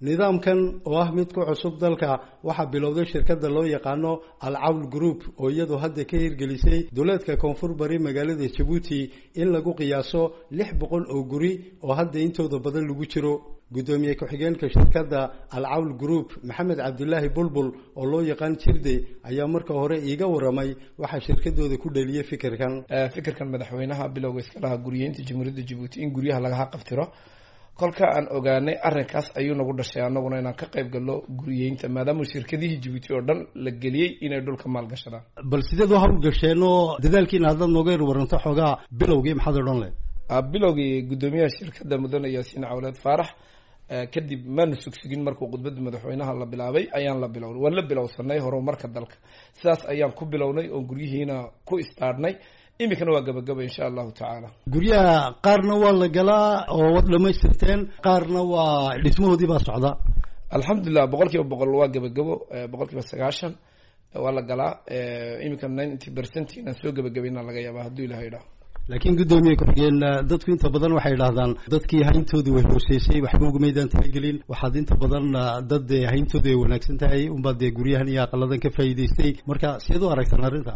Nidaamkan oo ah mid ku cusub dalka waxaa bilowday shirkadda loo yaqaano Al Cawl Group, oo iyadu hadda ka hirgelisay duleedka koonfur bari magaalada Jabuuti in lagu qiyaaso 600 oo guri oo hadda intooda badan lagu jiro. Guddoomiye ku-xigeenka shirkadda Al Cawl Group, Maxamed Cabdilaahi Bulbul oo loo yaqaan Jirde, ayaa marka hore iiga waramay waxaa shirkadooda ku dhaliyey fikirkan. Fikirkan madaxweynaha bilowga iska lahaa guriyeynta Jamhuuriyadda Jabuuti in guryaha lagaha qabtiro, kolka aan ogaanay arrinkaas ayuu nagu dhashay annaguna inaan ka qayb galno guriyeynta, maadaama shirkadihii Jabuuti oo dhan la geliyey inay dhulka maalgashadaan. Bal sideed u hawlgasheen oo dadaalkiina haddaad nooga yar waranto xoogaa bilowgii, maxaad odhan lehed? Bilowgii guddoomiyaha shirkadda, Mudane Yaasiin Cawleed Faarax, kadib maanu sugsugin. Markuu khudbadda madaxweynaha la bilaabay ayaan la bilownay, waan la bilowsanay horumarka dalka. Sidaas ayaan ku bilownay oon guryihiina ku istaadhnay. Iminkana waa gabagaba, insha Allahu tacaala. Guryaha qaarna waa la galaa oo waad dhamaystirteen, qaarna waa dhismahoodii baa socda. Alxamdulilah, 100% waa gabagabo, 90% waa la galaa. Iminka 90% inaan soo gabagabayna laga yaaba, hadduu Ilaha idhaho. Laakiin guddoomiye ku-xigeen, dadku inta badan waxay idhahdaan dadkii hayntoodu way hooseysay waxba ugumaydaan talagelin. Waxaad inta badan dad dee hayntoodu ay wanaagsan tahay unbaad dee guryahan iyo aqaladan ka faa'iidaystay. Marka sideed u aragtaan arrinta?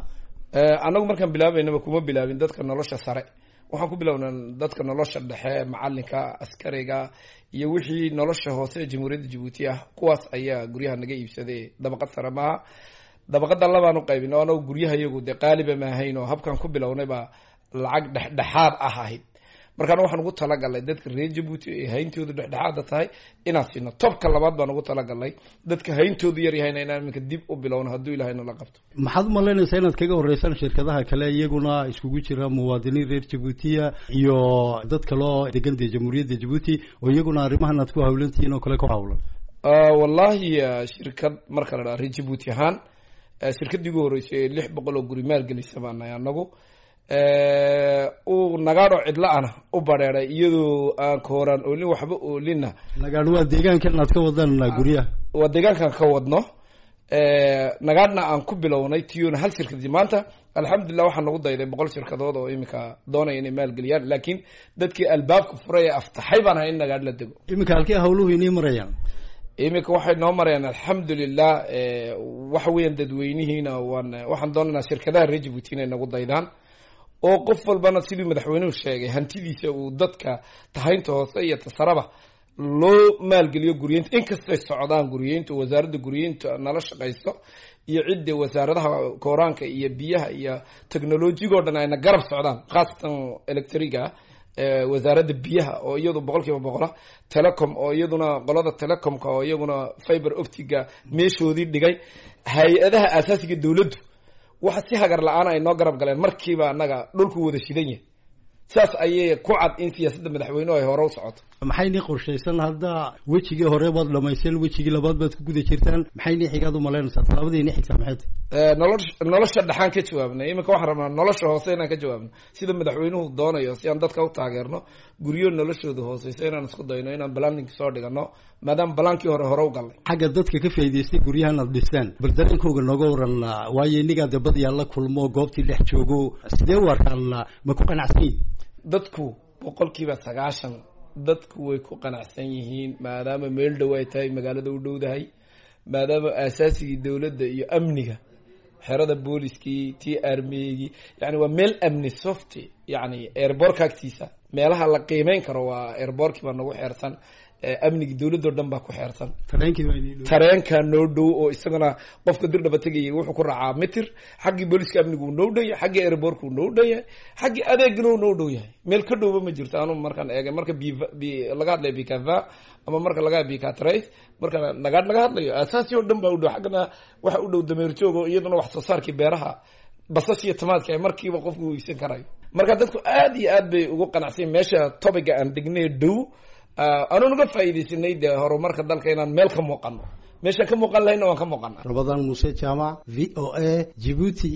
Annagu markaan bilaabaynaba kuma bilaabin dadka nolosha sare, waxaan ku bilownaa dadka nolosha dhexe, macalinka, askariga iyo wixii nolosha hoose ee Jamhuuriyadda Jabuuti ah. Kuwaas ayaa guryaha naga iibsaday, dabaqad sare maaha. Dabaqada labaan u qaybin oo anagu guryaha iyagu dee qaaliba ma ahayn, oo habkaan ku bilownay baa lacag dhexdhexaad ah ahayd. Markaana waxaan ugu talagalnay dadka reer Jabuuti ay hayntoodu dhexdhexaada tahay inaan siino. Tobka labaad baan ugu talagalnay dadka hayntoodu yar yahayna inaan iminka dib u bilowno, hadduu Ilahayna la qabto. Maxaad umalaynaysaa inaad kaga horeysaan shirkadaha kale, iyaguna iskugu jira muwaadiniin reer Jabuutiya iyo dad kaloo degan dee Jamhuuriyadda Jabuuti, oo iyaguna arrimahan aad ku hawlantihiin oo kale ku hawlan? Wallahi, shirkad marka la dhaha reer Jabuuti ahaan, shirkaddii ugu horreysay ee 600 oo guri maalgelisa baan nahay annagu. Uu Nagaadho cidla-ana u bareeray iyadoo aan kooraan oolin, waxba oolinna. Nagaadho waa deegaankan aad ka wadaan guryaha? Waa deegaankan ka wadno. Nagaadhna aan ku bilownay tiyona hal shirkadi. Maanta alxamdulilah waxaa nagu dayday 100 shirkadood oo iminka doonaya inay maalgeliyaan, laakiin dadkii albaabka furay ee aftaxay baan ahay in Nagaadh la dego. Iminka halkee hawluhu inii marayaan? Iminka waxay noo marayaan alxamdulilah. Waxa weeyaan dadweynihiina waan waxaan doonaynaa shirkadaha reer Jabuuti inay nagu daydaan, oo qof walbana siduu madaxweynuhu sheegay hantidiisa uu dadka tahaynta hoose iyo tasaraba loo maalgeliyo guriyeynta. Inkastay socdaan guriyeynta, wasaaradda guriyeynta nala shaqayso iyo cidda wasaaradaha kooraanka iyo biyaha iyo technolojigo dhan ayna garab socdaan, khaasatan electriga, wasaaradda biyaha oo iyadu 100%a, telecom oo iyaduna qolada telecomka oo iyaguna fiber optiga meeshoodii dhigay, hay-adaha aasaasiga dawladdu waxa si hagar la-aan ay noo garab galeen. Markiiba annaga dhulku wada shidan yahay, sidaas ayay ku cad in siyaasadda madaxweynuhu ay hore u socoto. Maxay nii qorshaysan hadda? Wejigii hore baad dhamayseen, wejigii labaad baad ku guda jirtaan. Maxay nii xigaad umalaynaysaa? Tallaabadii nii xigtaa maxay tahay? Nolosha dhexaan ka jawaabnay. Iminka waxaan rabnaa nolosha hoose inaan ka jawaabno, sida madaxweynuhu doonayo, si aan dadka u taageerno guryo noloshooda hooseyso inaan isku dayno inaan planning soo dhigano, maadaama balaankii hore hore u galnay. Xagga dadka ka faa'iidaystay guryahan aad dhistaan, bal dareenkooga nooga waran. Waayo inigaa de badiyaa la kulmo, goobtii dhex joogo, sidee u arkaan? Ma ku qanacsan yihin? Dadku 90% dadku way ku qanacsan yihiin, maadaama meel dhow ay tahay, magaalada u dhowdahay, maadaama aasaasigii dawladda iyo amniga, xerada booliskii, tii armigii, yani waa meel amni soft, yani airbortka agtiisa meelaha la qiimeyn karo waa airbortkii baa nagu xeersan, amnigii dawladdo dhan baa ku xeersan, tareenkaa noo dhow oo isagana qofka dirdhaba tegayay wuxuu ku raacaa mitir. Xaggii booliska amnigu uu noo dhow yahay, xaggii airbortka uu noo dhow yahay, xaggii adeegna uu noo dhow yahay. Meel ka dhowba ma jirto. Anu markaan eegay, marka b laga hadlayo bikava ama marka laga bikatrace, marka Nagaadh laga hadlayo, aasaasi oo dhan baa u dhow. Xaggana waxa u dhow dameer joog oo iyaduna wax soo saarkii beeraha, basashiyo tamaadka ay markiiba qofku uu iibsan karayo. Marka dadku aad iyo aad bay ugu qanacsan meesha topiga aan degnay dhow, aanu naga faa'iidaysanay dee horumarka dalka inaan meel ka muuqano. Meeshaan ka muuqan lahayna waan ka muuqana. Rabadaan Muuse Jaamac, VOA, Jibuuti.